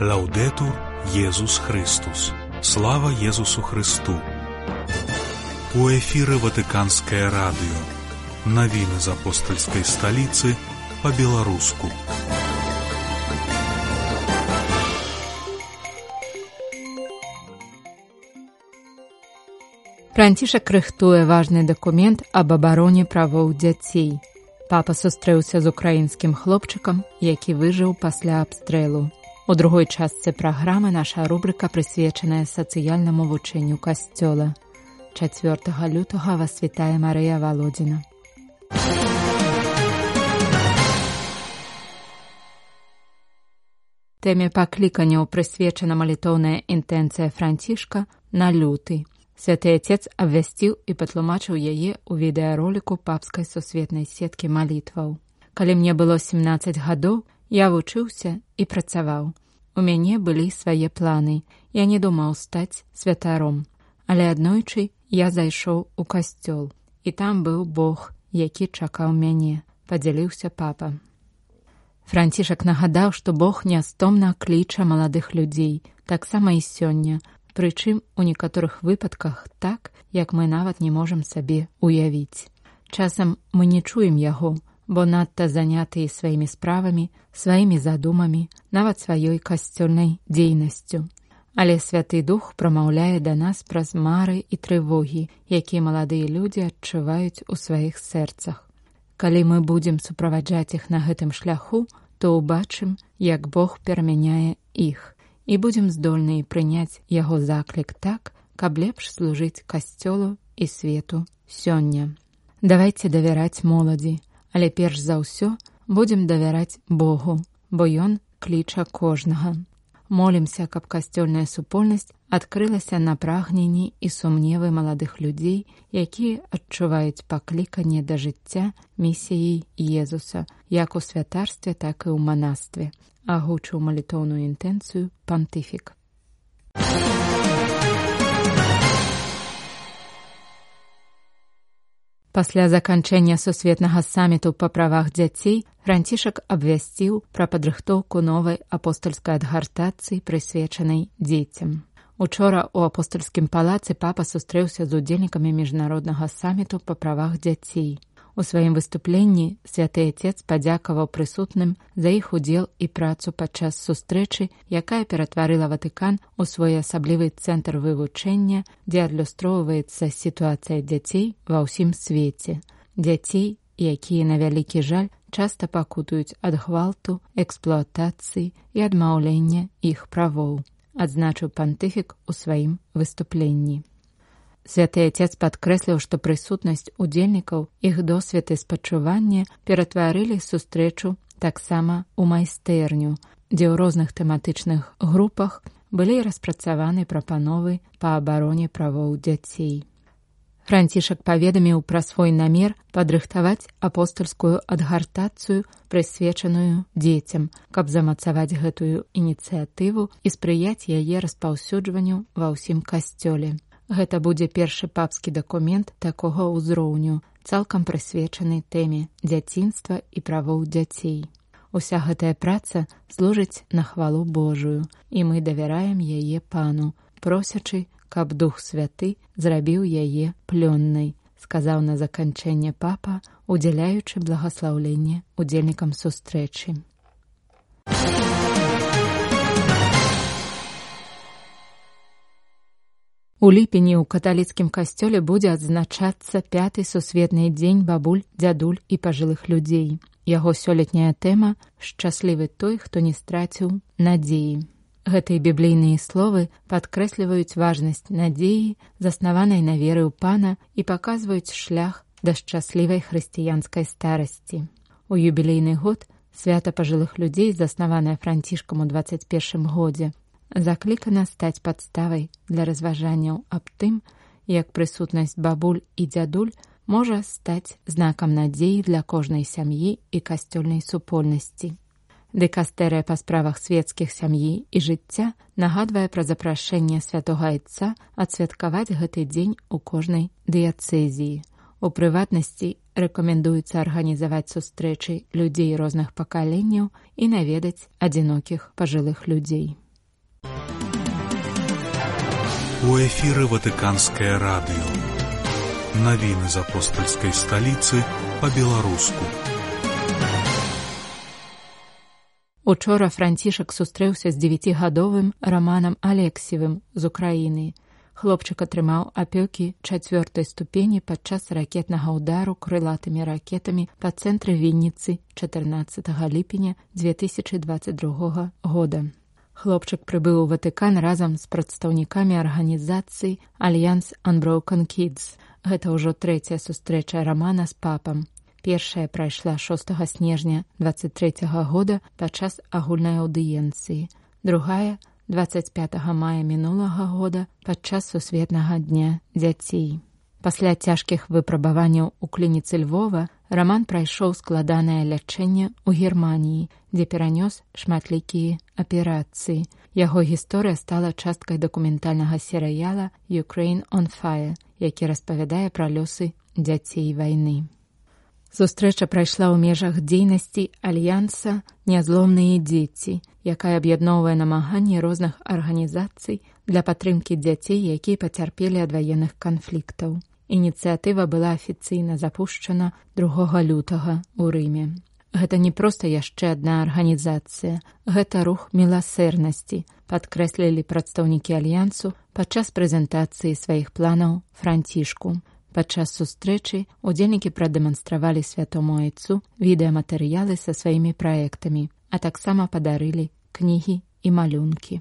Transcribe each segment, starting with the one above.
Лаўдэтур Езус Христус. Слава Езусу Христу. У эфіры Ватыканскае радыё. Навіны з апостальскай сталіцы па-беларуску. Францішак рыхтуе важны дакумент аб абароне правоў дзяцей. Папа сустрэўся з украінскім хлопчыкам, які выжыў пасля абстрэлу. У другой частцы праграмы наша рубрыка прысвечаная сацыяльнаму вучэнню касцёла. 4 лютага вас вітае Марыя Валодзіна. Тэме пакліканняў прысвечана малітоўная інтэнцыя Францішка на люты. Святы Отец абвясціў і патлумачыў яе ў відэароліку папскай сусветнай сеткі малітваў. Калі мне было 17 гадоў, я вучыўся і працаваў. У мяне былі свае планы. Я не думаў стаць святаром. Але аднойчы я зайшоў у касцёл. І там быў Бог, які чакаў мяне, падзяліўся папа. Францішак нагадаў, што Бог нястомна кліча маладых людзей, таксама і сёння, прычым у некаторых выпадках так, як мы нават не можам сабе уявіць. Часам мы не чуем яго, бо надта занятыя сваімі справамі, сваімі задумамі, нават сваёй касцёльнай дзейнасцю. Але Святы Дух прамаўляе да нас праз мары і трывогі, якія маладыя людзі адчуваюць у сваіх сэрцах. Калі мы будзем суправаджаць іх на гэтым шляху, то ўбачым, як Бог перамяняе іх. І будзем здольныя прыняць яго заклік так, каб лепш служыць касцёлу і свету сёння. Давайце давяраць моладзі, але перш за ўсё будзем давяраць Богу, бо Ён кліча кожнага. Молімся, каб касцёльная супольнасць адкрылася на прагненні і сумневы маладых людзей, якія адчуваюць пакліканне да жыцця місіяй Езуса, як у святарстве, так і ў манастве. Агучыў малітоўную інтэнцыю пантыфік. Пасля заканчэння сусветнага саміту па правах дзяцей Францішак абвясціў пра падрыхтоўку новай апостальскай адгартацыі, прысвечанай дзецям. Учора ў апостальскім палацы папа сустрэўся з удзельнікамі міжнароднага саміту па правах дзяцей. У сваім выступленні Святы Отец падзякаваў прысутным за іх удзел і працу падчас сустрэчы, якая ператварыла Ватыкан у свой асаблівы цэнтр вывучэння, дзе адлюстроўваецца сітуацыя дзяцей ва ўсім свеце. Дзяцей, якія, на вялікі жаль, часта пакутуюць ад гвалту, эксплуатацыі і адмаўлення іх правоў, адзначыў пантыфік у сваім выступленні. Святы Отец падкрэсліў, што прысутнасць удзельнікаў, іх досвед і спачуванне ператварылі сустрэчу таксама ў майстэрню, дзе ў розных тэматычных групах былі распрацаваны прапановы па абароне правоў дзяцей. Францішак паведаміў пра свой намер падрыхтаваць апостальскую адгартацыю, прысвечаную дзецям, каб замацаваць гэтую ініцыятыву і спрыяць яе распаўсюджванню ва ўсім касцёле. Гэта будзе першы папскі дакумент такога ўзроўню, цалкам прысвечаны тэме дзяцінства і правоў дзяцей. Уся гэтая праца служыць на хвалу Божую, і мы давяраем яе Пану, просячы, каб Дух Святы зрабіў яе плённай, сказаў на заканчэнне папа, удзяляючы благаслаўленне удзельнікам сустрэчы. У ліпені ў каталіцкім касцёле будзе адзначацца 5-й сусветны дзень бабуль, дзядуль і пажылых людзей. Яго сёлетняя тэма «Шчаслівы той, хто не страціў надзеі». Гэтыя біблійныя словы падкрэсліваюць важнасць надзеі, заснаванай на веры ў Пана, і паказваюць шлях да шчаслівай хрысціянскай старасці. У юбілейны год свята пажылых людзей, заснаванае Францішкам у 21 годзе, заклікана стаць падставай для разважанняў аб тым, як прысутнасць бабуль і дзядуль можа стаць знакам надзеі для кожнай сям'і і касцёльнай супольнасці. Дыкастэрыя па справах свецкіх сям'і і жыцця нагадвае пра запрашэнне святога Айца адсвяткаваць гэты дзень у кожнай дыяцэзіі. У прыватнасці рэкамендуецца арганізаваць сустрэчы людзей розных пакаленняў і наведаць адзінокіх пажылых людзей. У эфіры Ватыканскае радыё. Навіны з апостальскай сталіцы па-беларуску. Учора Францішак сустрэўся з 9гадовым Романам Алексіевым з Украіны. Хлопчык атрымаў апёкі 4-й ступені падчас ракетнага ўдару крылатымі ракетамі па цэнтры Вінніцы 14 ліпеня 2022 года. Хлопчык прыбыў у Ватыкан разам з прадстаўнікамі арганізацыі Альянс Unbroken Kids. Гэта ўжо 3-я сустрэча Романа з папам. Першая прайшла 6 снежня 23 года падчас агульнай аўдыенцыі. Другая 25 мая мінулага года падчас Сусветнага дня дзяцей. Пасля цяжкіх выпрабаванняў у клініцы Львова Роман прайшоў складанае лячэнне ў Германіі, дзе перанёс шматлікія аперацыі. Яго гісторыя стала часткай дакументальнага серыяла «Ukraine on Fire», які распавядае пра лёсы дзяцей вайны. Сустрэча прайшла ў межах дзейнасці Альянса «Нязломныя дзеці», якая аб'ядноўвае намаганні розных арганізацый для падтрымкі дзяцей, якія пацярпелі ад ваенных канфліктаў. Ініцыятыва была афіцыйна запушчана 2 лютага ў Рыме. Гэта не проста яшчэ адна арганізацыя, гэта рух міласэрнасці, падкрэслілі прадстаўнікі Альянсу падчас прэзентацыі сваіх планаў Францішку. Падчас сустрэчы удзельнікі прадэманстравалі святому айцу відэаматэрыялы са сваімі праектамі, а таксама падарылі кнігі і малюнкі.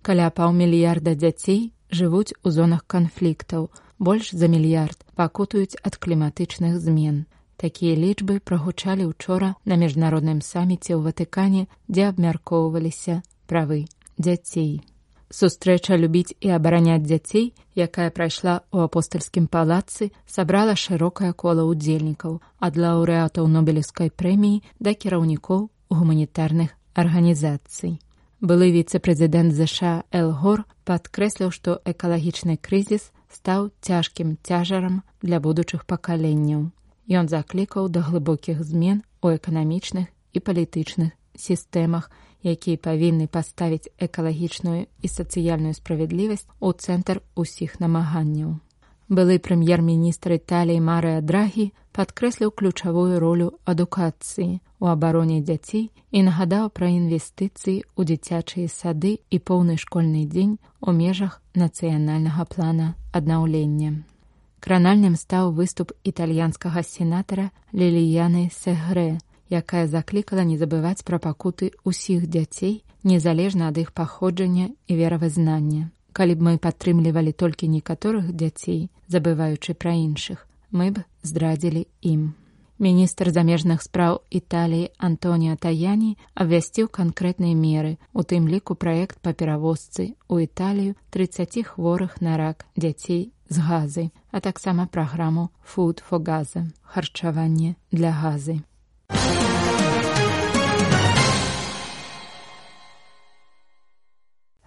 Каля паўмільярда дзяцей жывуць у зонах канфліктаў, больш за мільярд пакутуюць ад кліматычных змен. Такія лічбы прагучалі учора на міжнародным саміце ў Ватыкане, дзе абмяркоўваліся правы дзяцей. Сустрэча «Любіць і абараняць дзяцей», якая прайшла ў апостальскім палацы, сабрала шырокае кола ўдзельнікаў, ад лаўрэатаў Нобелеўскай прэміі да кіраўнікоў гуманітарных арганізацый. Былы віцэ-прэзідэнт ЗША Эл Гор падкрэсліў, што экалагічны крызіс стаў цяжкім цяжарам для будучых пакаленняў. Ён заклікаў да глыбокіх змен у эканамічных і палітычных сістэмах, якія павінны паставіць экалагічную і сацыяльную справядлівасць у цэнтр усіх намаганняў. Былы прэм'ер-міністр Італіі Марыа Драгі падкрэсліў ключавую ролю адукацыі у абароне дзяцей і нагадаў пра інвестыцыі ў дзіцячыя сады і поўны школьны дзень у межах нацыянальнага плана аднаўлення. Кранальным стаў выступ італьянскага сенатара Ліліяны Сегрэ, якая заклікала не забываць пра пакуты ўсіх дзяцей, незалежна ад іх паходжання і веравызнання. Калі б мы падтрымлівалі толькі некаторых дзяцей, забываючы пра іншых, мы б здрадзілі ім. Міністр замежных спраў Італіі Антоніо Таяні абвясціў канкрэтныя меры, у тым ліку праект па перавозцы ў Італію 30 хворых на рак дзяцей з Газы, а таксама праграму «Food for Gaza» – харчаванне для Газы.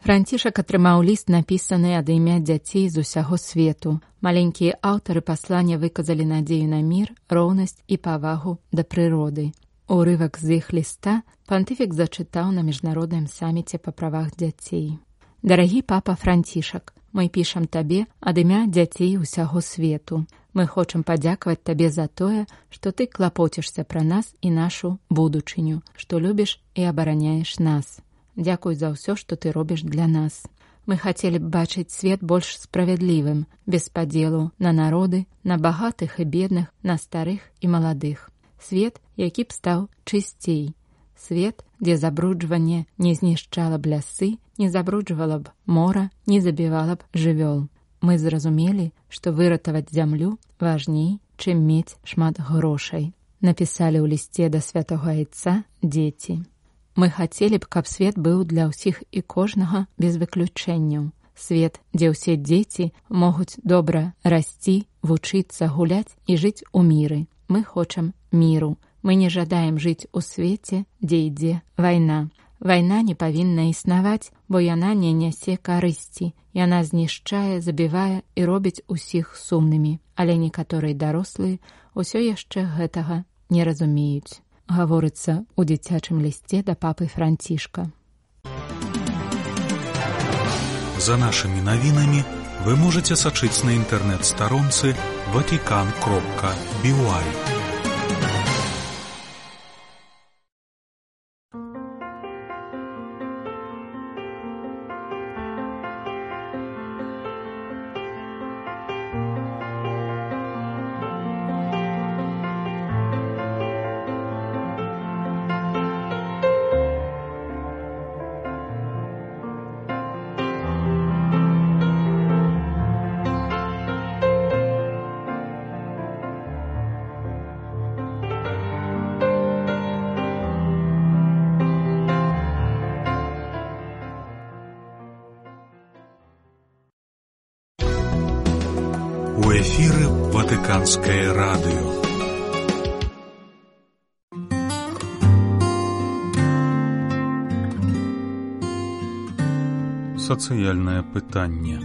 Францішак атрымаў ліст, напісаны ад імя дзяцей з усяго свету. Маленькія аўтары паслання выказалі надзею на мір, роўнасць і павагу да прыроды. Урывак з іх ліста пантыфік зачытаў на міжнародным саміце па правах дзяцей. «Дарагі папа Францішак, мы пішам табе ад імя дзяцей усяго свету. Мы хочам падзякаваць табе за тое, што ты клапоцішся пра нас і нашу будучыню, што любіш і абараняеш нас. Дзякуй за ўсё, што ты робіш для нас. Мы хацелі б бачыць свет больш справядлівым, без падзелу на народы, на багатых і бедных, на старых і маладых. Свет, які б стаў чысцей. Свет, дзе забруджванне не знішчала б лясы, не забруджвала б мора, не забівала б жывёл. Мы зразумелі, што выратаваць зямлю важней, чым мець шмат грошай», напісалі ў лісце да святога айца дзеці. Мы хацелі б, каб свет быў для ўсіх і кожнага без выключэнняў. Свет, дзе ўсе дзеці могуць добра расці, вучыцца, гуляць і жыць у міры. Мы хочам міру. Мы не жадаем жыць у свеце, дзе ідзе вайна. Вайна не павінна існаваць, бо яна не нясе карысці. Яна знішчае, забівае і робіць усіх сумнымі. Але некаторыя дарослыя ўсё яшчэ гэтага не разумеюць. гаворыцца ў дзіцячым лісце да папы Францішка. За нашими новинами вы можете сачыць на интернет-старонцы vatican.by. У эфіры Ватыканскае радыё. Сацыяльнае пытанне.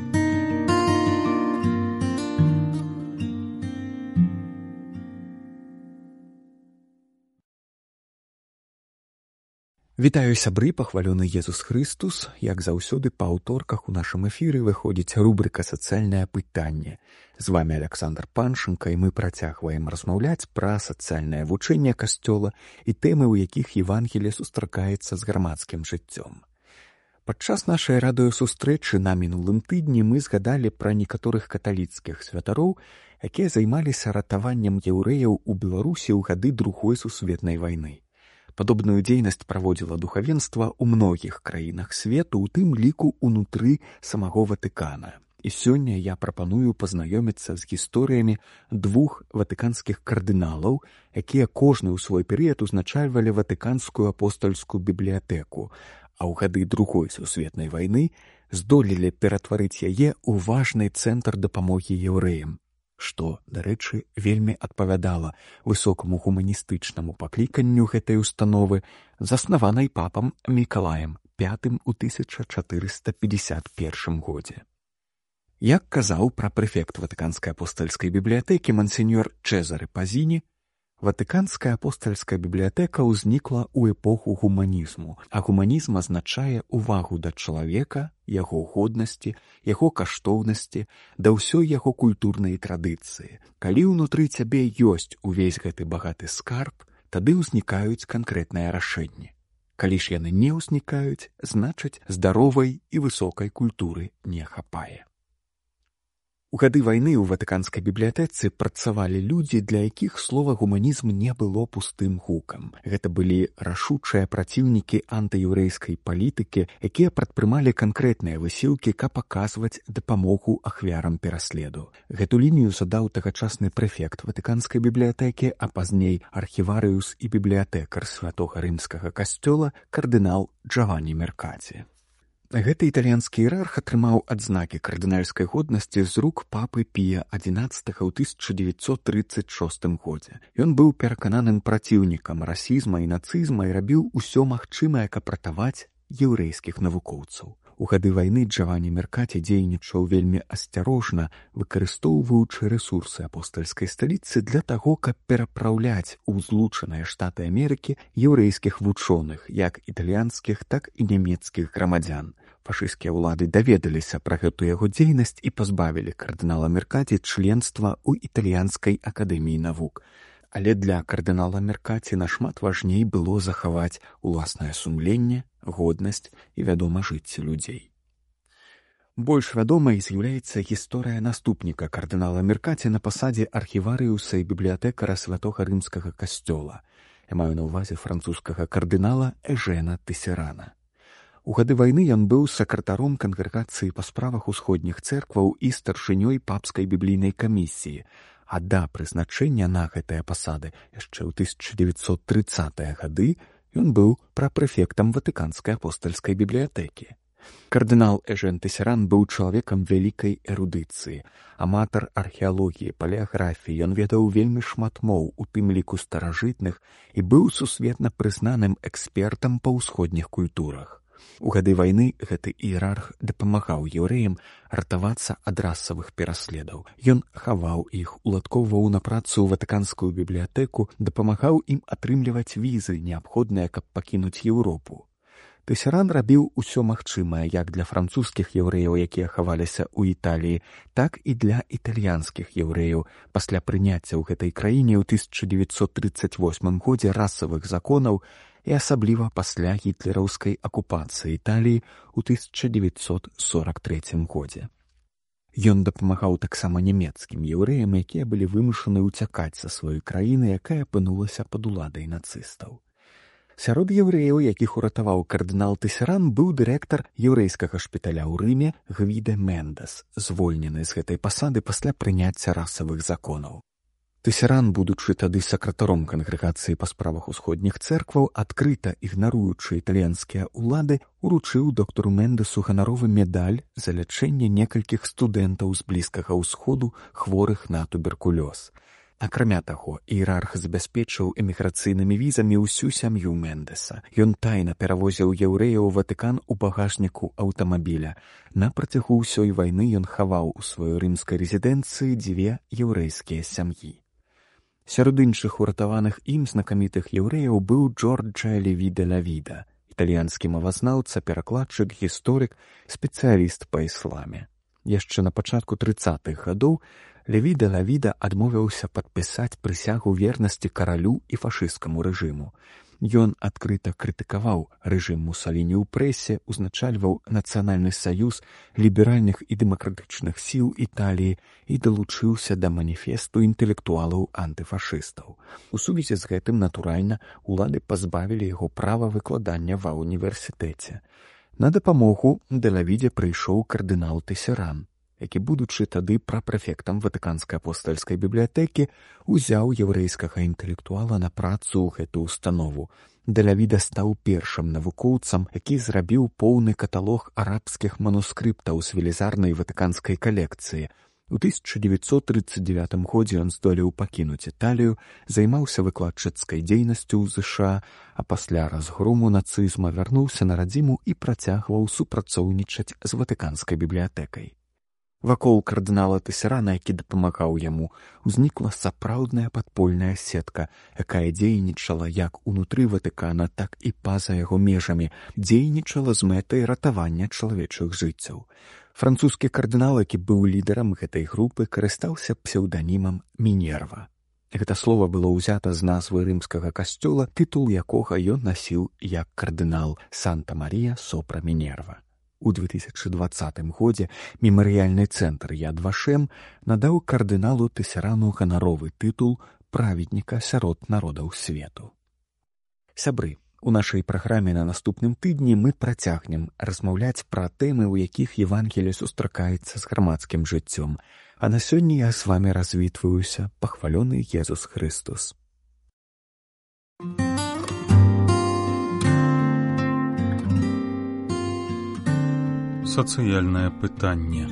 Вітаю сябры, пахвалёны Езус Хрыстус. Як заўсёды па аўторках у нашым эфіры выходзіць рубрыка «Сацыяльнае пытанне». З вами Александр Паншенко, і мы працягваем размаўляць пра сацыяльнае вучэнне Касцёла і тэмы, у якіх Евангелие сустракаецца з грамадскім жыццём. Падчас нашай радыёсустрэчы на мінулым тыдні мы згадалі пра некаторых каталіцкіх святароў, якія займаліся ратаваннем яўрэяў у Беларусі ў гады Другой сусветнай вайны. Падобную дзейнасць праводзіла духавенства ў многіх краінах свету, у тым ліку ўнутры самого Ватыкана. І сёння я прапаную пазнаёміцца з гісторыямі двух ватыканскіх кардыналаў, якія кожны ў свой перыяд узначальвалі Ватыканскую апостальскую бібліятэку, а ў гады Другой сусветнай вайны здолелі ператварыць яе ў важны цэнтр дапамогі яўрэям, што, дарэчы, вельмі адпавядала высокаму гуманістычнаму пакліканню гэтай установы, заснаванай папам Мікалаем V у 1451 годзе. Як казаў прэфект Ватыканскай апостальскай бібліятэкі мансеньор Чезаре Пазіні, Ватыканская апостальская бібліятэка ўзнікла ў эпоху гуманізму, а гуманізм азначае увагу да чалавека, яго годнасці, яго каштоўнасці, да ўсёй яго культурнай традыцыі. Калі ўнутры цябе ёсць увесь гэты багаты скарб, тады ўзнікаюць канкрэтныя рашэнні. Калі ж яны не ўзнікаюць, значыць, здаровай і высокай культуры не хапае. У гады вайны ў Ватыканскай бібліятэцы працавалі людзі, для якіх слова гуманізм не было пустым гукам. Гэта былі рашучыя праціўнікі антыеўрэйскай палітыкі, якія прадпрымалі канкрэтныя высілкі, каб аказваць дапамогу ахвярам пераследу. Гэту лінію задаў тагачасны прэфект Ватыканскай бібліятэкі, а пазней архіварыус і бібліятэкар святога рымскага касцёла кардынал Джаванні Меркаці. Гэты італьянскі іерарх атрымаў адзнакі кардынальскай годнасці з рук папы Пія XI ў 1936 годзе. Ён быў перакананым праціўнікам расізма і нацызма і рабіў усё магчымае, каб ратаваць яўрэйскіх навукоўцаў. У гады вайны Джаванні Меркаці дзейнічаў вельмі асцярожна, выкарыстоўваючы рэсурсы апостальскай сталіцы для таго, каб перапраўляць у Злучаныя Штаты Амерыкі яўрэйскіх вучоных, як італьянскіх, так і нямецкіх грамадзян. Фашысцкія ўлады даведаліся пра гэту яго дзейнасць і пазбавілі кардынала Меркаці членства ў італьянскай акадэміі навук. Але для кардынала Меркаці нашмат важней было захаваць уласнае сумленне, годнасць і, вядома, жыцці людзей. Больш вядомай з'яўляецца гісторыя наступніка кардынала Меркаці на пасадзе архіварыуса і бібліятэкара святога рымскага касцёла. Я маю на ўвазе французскага кардынала Эжэна Тэсерана. У гады вайны ён быў сакратаром кангрэгацыі па справах усходніх цэркваў і старшынёй папскай біблійнай камісіі, а да прызначэння на гэтыя пасады яшчэ ў 1930-е гады ён быў прапрэфектам Ватыканскай апостальскай бібліятэкі. Кардынал Эжэн Тэсеран быў чалавекам вялікай эрудыцыі, аматар археалогіі, палеаграфіі, ён ведаў вельмі шмат моў, у тым ліку старажытных, і быў сусветна прызнаным экспертам па ўсходніх культурах. У гады вайны гэты іерарх дапамагаў еўрэям ратавацца ад расавых пераследаў. Ён хаваў іх, уладкоўваў на працу ў ватыканскую бібліятэку, дапамагаў ім атрымліваць візы, неабходныя, каб пакінуць Еўропу. Тэсеран рабіў усё магчымае як для французскіх еўрэяў, якія хаваліся ў Італіі, так і для італьянскіх еўрэяў пасля прыняцця ў гэтай краіне ў 1938 годзе расавых законаў і асабліва пасля гітлераўскай акупацыі Італіі ў 1943 годзе. Ён дапамагаў таксама нямецкім еўрэям, якія былі вымушаны ўцякаць са сваёй краіны, якая апынулася пад уладай нацыстаў. Сярод еўрэяў, якіх уратаваў кардынал Тэсеран, быў дырэктар еўрэйскага шпіталя ў Рыме Гвіде Мендес, звольнены з гэтай пасады пасля прыняцця расавых законаў. Тэсеран, будучы тады сакратаром кангрэгацыі па справах усходніх цэркваў, адкрыта ігнаруючы італьянскія ўлады, уручыў доктару Мендесу ганаровы медаль за лячэнне некалькіх студэнтаў з Блізкага ўсходу, хворых на туберкулёз. Акрамя таго, іерарх забяспечыў эміграцыйнымі візамі ўсю сям'ю Мендеса. Ён тайна перавозіў еўрэяў у Ватыкан у багажніку аўтамабіля. На працягу ўсёй вайны ён хаваў у сваёй рымскай рэзідэнцыі 2 еўрэйскія сям'і. Сярод іншых уратаваных ім знакамітых еўрэяў быў Джорджа Леві де ла Віда, італьянскі мовазнаўца, перакладчык, гісторык, спецыяліст па ісламе. Яшчэ на пачатку 30-х гадоў Леві де ла Віда адмовіўся падпісаць прысягу вернасці каралю і фашысцкаму рэжыму. Ён адкрыта крытыкаваў рэжым Мусаліні ў прэсе, узначальваў Нацыянальны саюз ліберальных і дэмакратычных сіл Італіі і далучыўся да маніфесту інтэлектуалаў-антыфашыстаў. У сувязі з гэтым, натуральна, улады пазбавілі яго права выкладання ва ўніверсітэце. На дапамогу де ла Відзе прыйшоў кардынал Тэсеран, які, будучы тады прапрэфектам Ватыканскай апостальскай бібліятэкі, узяў еўрэйскага інтэлектуала на працу ў гэту установу. Де ла Віда стаў першым навукоўцам, які зрабіў поўны каталог арабскіх манускрыптаў з велізарнай ватыканскай калекцыі. У 1939 годзе ён здолеў пакінуць Італію, займаўся выкладчыцкай дзейнасцю ў ЗША, а пасля разгрому нацызма вярнуўся на радзіму і працягваў супрацоўнічаць з Ватыканскай бібліятэкай. Вакол кардынала Тэсерана, які дапамагаў яму, узнікла сапраўдная падпольная сетка, якая дзейнічала як унутры Ватыкана, так і па-за яго межамі, дзейнічала з мэтай ратавання чалавечых жыццяў. Французскі кардынал, які быў лідарам гэтай групы, карыстаўся псеўданімам Мінерва. Гэта слова было ўзята з назвы рымскага касцёла, тытул якога ён насіў як кардынал Санта-Марія сопра Мінерва. У 2020 годзе мемарыяльны цэнтр Яд Вашем надаў кардыналу Тэсерану ганаровы тытул праведніка сярод народаў свету. Сябры, у нашай праграме на наступным тыдні мы працягнем размаўляць пра тэмы, у якіх Евангелле сустракаецца з грамадскім жыццём. А на сёння я з вамі развітваюся, пахвалёны Езус Христос. Сацыяльнае пытанне.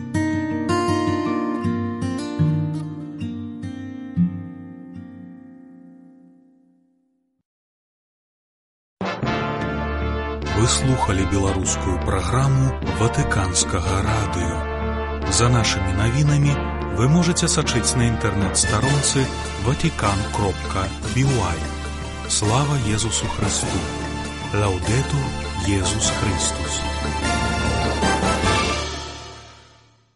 Вы слухали беларускую праграму Ватыканскага радыё. За нашымі навінамі вы можаце сачыць на інтэрнэт-старонцы vatican.by. Слава Езусу Христу! Лаўдэтур Езус Христус!